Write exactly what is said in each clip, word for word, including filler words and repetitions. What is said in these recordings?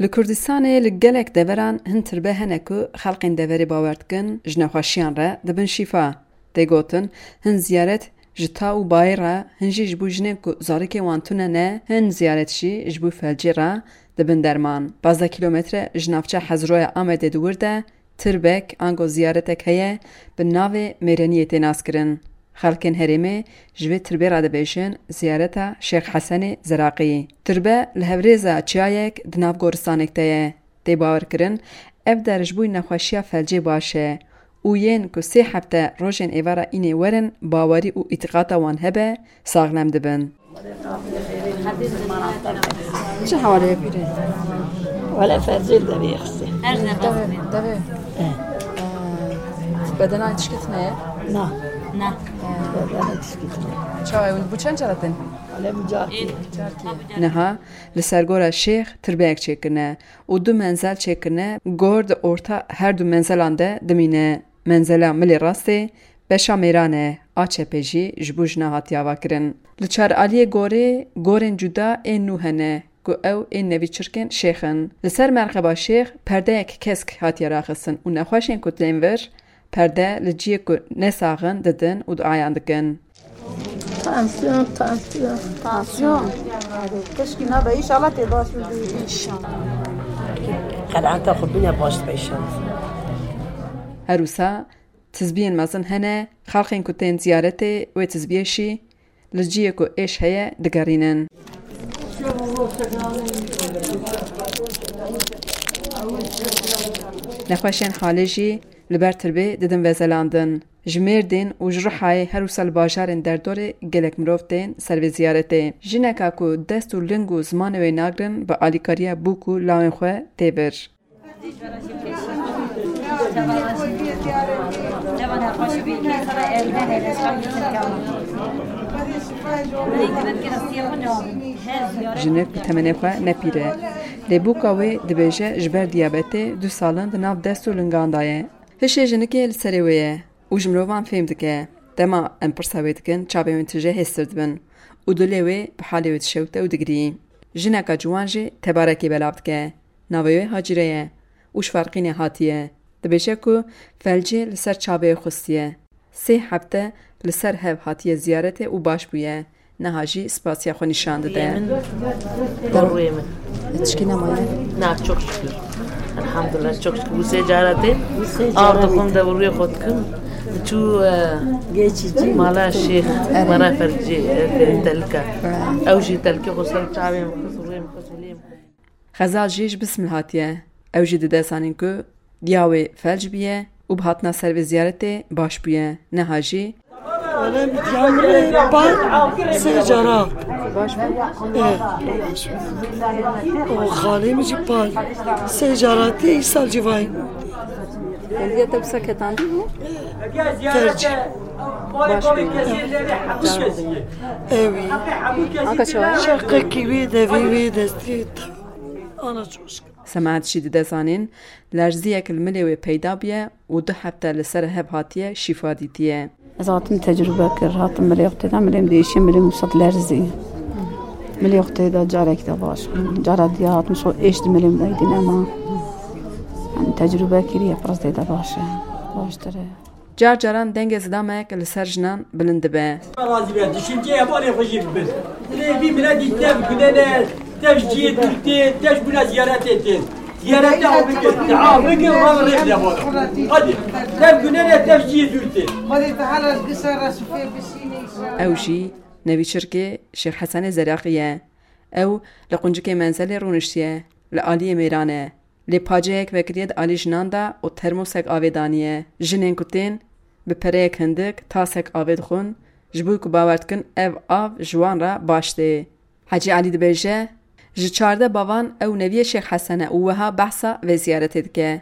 Li Kurdistanê li gelek deveran hin tirbe hene ku xelkên deverê bawer dikin ji nexweşiyan re dibin şîfa. Tê gotin, hin ziyaret ji ta û bayê re, hin jî ji bo jinên ku zarokên wan tune ne, hin ziyaret jî ji bo felcê re dibin derman. Pazdeh kîlometre ji navça Hezroya Amedê di wir de tirbek ango ziyaretek heye, bi navê Mêreniyê tê naskirin. Xelkên herêmê ji vê tirbê re dibêjin ziyareta Şêx Hesenê Zeraqî. Tirbe li hevrêza çiyayek di nav goristanek de ye. Tê bawerkirin, ev der ji bo nexweşiya felcê baş e û yên ku sê hefte rojên êvara înê werin bawerî û îtîqata wan hebe, saxlem dibin. Çi hewalê ye pîrê? Wele fercê devê xistê. Her ne Devê, devê. Eh. Ee, bedena tişkî tune ye? Na. Na. Bedena tişkî tune. Çawa ew bu çend cara tên? Wele bu carkî. Carkî. Niha li ser gora Şêx tirbeyek çêkirine û du menzel çêkirine. Gor di orta her du menzelan de dimîne. Menzela milê rastê beşa mêran e, a çepê jî ji bo jina hatiye avakirin. Li çar aliyê gorê, gorên cuda ên nû hene, ku ew ên nevîçirkên şêx in. Li ser merxeba şêx perdeyek kesk hatiye raxistin û nexweşên ku tên vir, perde li ciyê ku ne sax in didin û duayan dikin. Tansiyon, tansiyon. Tansiyon. Keşkî nabe, înşallah tê baş bibî. Qenaeta xwe bîne baş dibe înşallah. Her wisa tizbiyên mezin hene, xelkên ku tên ziyaretê wê tizbiyê jî li ciyê ku êş heye digerînin. Nexweşên halê jî li ber tirbê didin vezelandin. Ji Mêrdîn û ji Rihayê her wisa li bajarên derdorê gelek mirov tên ser vê ziyaretê. Jineka ku dest û ling û zimanê wê nagrin bi alîkariya bûk û lawên xwe tê vir. Jinik bi temenê xwe ne pîr e. Lê bûka wê dibêje ji ber diyabetê du sal in di nav dest û lingan de ye. Hişê jinikê li serê wê ye û ji mirovan fêm dike. Dema em pirsa wê dikin, çavê wê tije hêstir dibin û dilê wê bi halê wê dişewite û digirî. Jineka ciwan jî tebarekê belav dike. Navê wê Hacîre ye û ji Farqînê hatiye. Dibêje ku felcê li ser çavê wê xustiye. Sê hefte li ser hev hatiye ziyaretê û baş bûye. Niha jî spasiya xwe nîşan dide. Min, rûyê min. Tişkî nemaye? Na, çok şükür. Elhamdülillah, çok şükür. Bu sê cara tê. Av dixwim de bi rûyê xwe dikim. Çû, e, Geçici. Mala Şêx, Erê. Mala Fercî, e, telika. Erê. Ew jî telkê xwe ser çavê min xist, rûyê min xist, hilê min. Xezal jî ji bismil hatiye. Ew jî dide zanîn ku diya wê felc bûye û bi hatina ser vê ziyaretê baş bûye. Niha jî Wele min diya min rê par sê cara. Baş bû? E. Û xalê min jî par sê cara tê îsal civayî. Kendiye te bi seketandî bû? Felc. Baş bû. Ewî. Anka çawa? Çeqekî wê, devê wê, destê. Ana çoşk. Semaet jî dide zanîn, lerziyek li milê wê peyda bûye û du hefte li ser hev hatiye şîfa dîtiye. Ez hatim tecrûbe kir, hatim milê xwe tê de, milê min diêşiye, milê min wisa dilerzî. Milê xwe tê de carek de baş bû. Cara diya hatim şo êş di milê min de dî nema. Em tecrûbe kiriye, pirs tê de baş e. Baştir e. Car caran dengê zidamek li ser jinan bilind dibe. Razî be, düşünceyê hevalê xwe jî bibin. Lê vî miletî tev gunene, tev ji cihê dûr tê, tev ji bûna ziyaretê tê. Ziyarete ew bikin, dua bikin, wan rê bide bana. Hadi, tev gunene, tev ji cihê dûr tê. Ew jî nevîçirkê Şêx Hesenê Zeraqî ye. Ew li quncikê menzelê rûniştiye, li aliyê mêran e. Lê paceyek vekiriye di alî jinan de û termosek avê daniye. Jinên ku tên, bi pereyek hindik tasek avê dixwin, ji bo ku bawer dikin ev av ji wan re baş tê. Hecî Elî dibêje, ji çardeh bavan ew neviyê Şêx Hesen e û wiha behsa vê ziyaretê dike.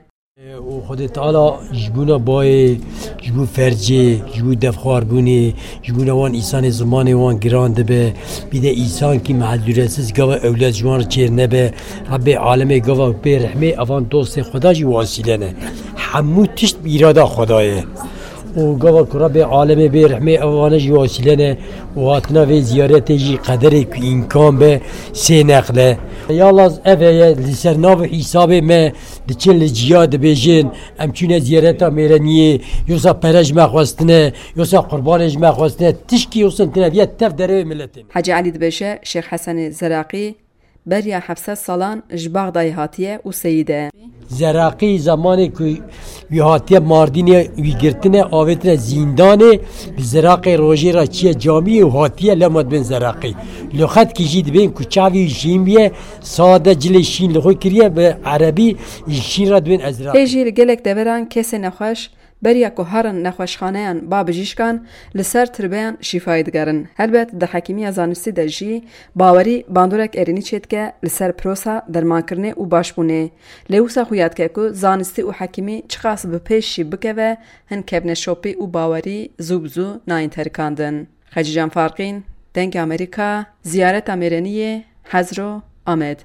Û Xwedê Teala ji bona bayê, ji bo fercê, ji bo devxwarbûnê, ji bona wan însanê zimanê wan giran dibe. Bîde însankî mehdûretsiz gava ewlad ji wan re çêr nebe. Rebbê alemê gava pê rehmê, evan dostê Xweda jî wasîle ne. Hemû tişt bi îrada Xweda ye. Û gava ku Rebê alemê bê rehmê evane jî wasîle ne û hatina vê ziyaretê jî qederê ku îmkan be sê neqle. Yalaz ev heye li ser nav û hîsabê me diçin li ciya dibêjin, em çûne ziyareta mêreniyê, yosa pere ji me xwestine, yosa qurbanê ji me xwestine, tişkî yosin tine viye tev derewê miletê. Hecî Elî dibêje Şêx Hesenê Zeraqî beriya heft sed salan ji Baxdayê hatiye û seyîd e. Zeraqî zemanê ku wî hatiye Mardînê wî girtine, avêtine zîndanê, bi Zeraqê rojê re çiye camiyê û hatiye lema dibên Zeraqî. Li xetkî jî dibên ku çavî wî şîn biye, sade cilê şîn li xwe kiriye, bi erebî şîn re dibên Ezraqî. Hê jî li gelek deveran kesê nexweş beriya ku herin nexweşxaneyan ba bijîşkan, li ser tirbeyan şîfayê digerin. Helbet di hekîmiya zanistî de jî bawerî bandorek erênî çêdike li ser prosa dermankirinê û başbûnê. Lê wisa xuya dike ku zanistî û hekîmî çiqas bi pêş jî bikeve, hin kevneşopî û bawerî zû bi zû nayên terikandin. Xecîcan Farqîn, Dengê Amerîka, Ziyareta Mêreniyê, Hezro, Amed.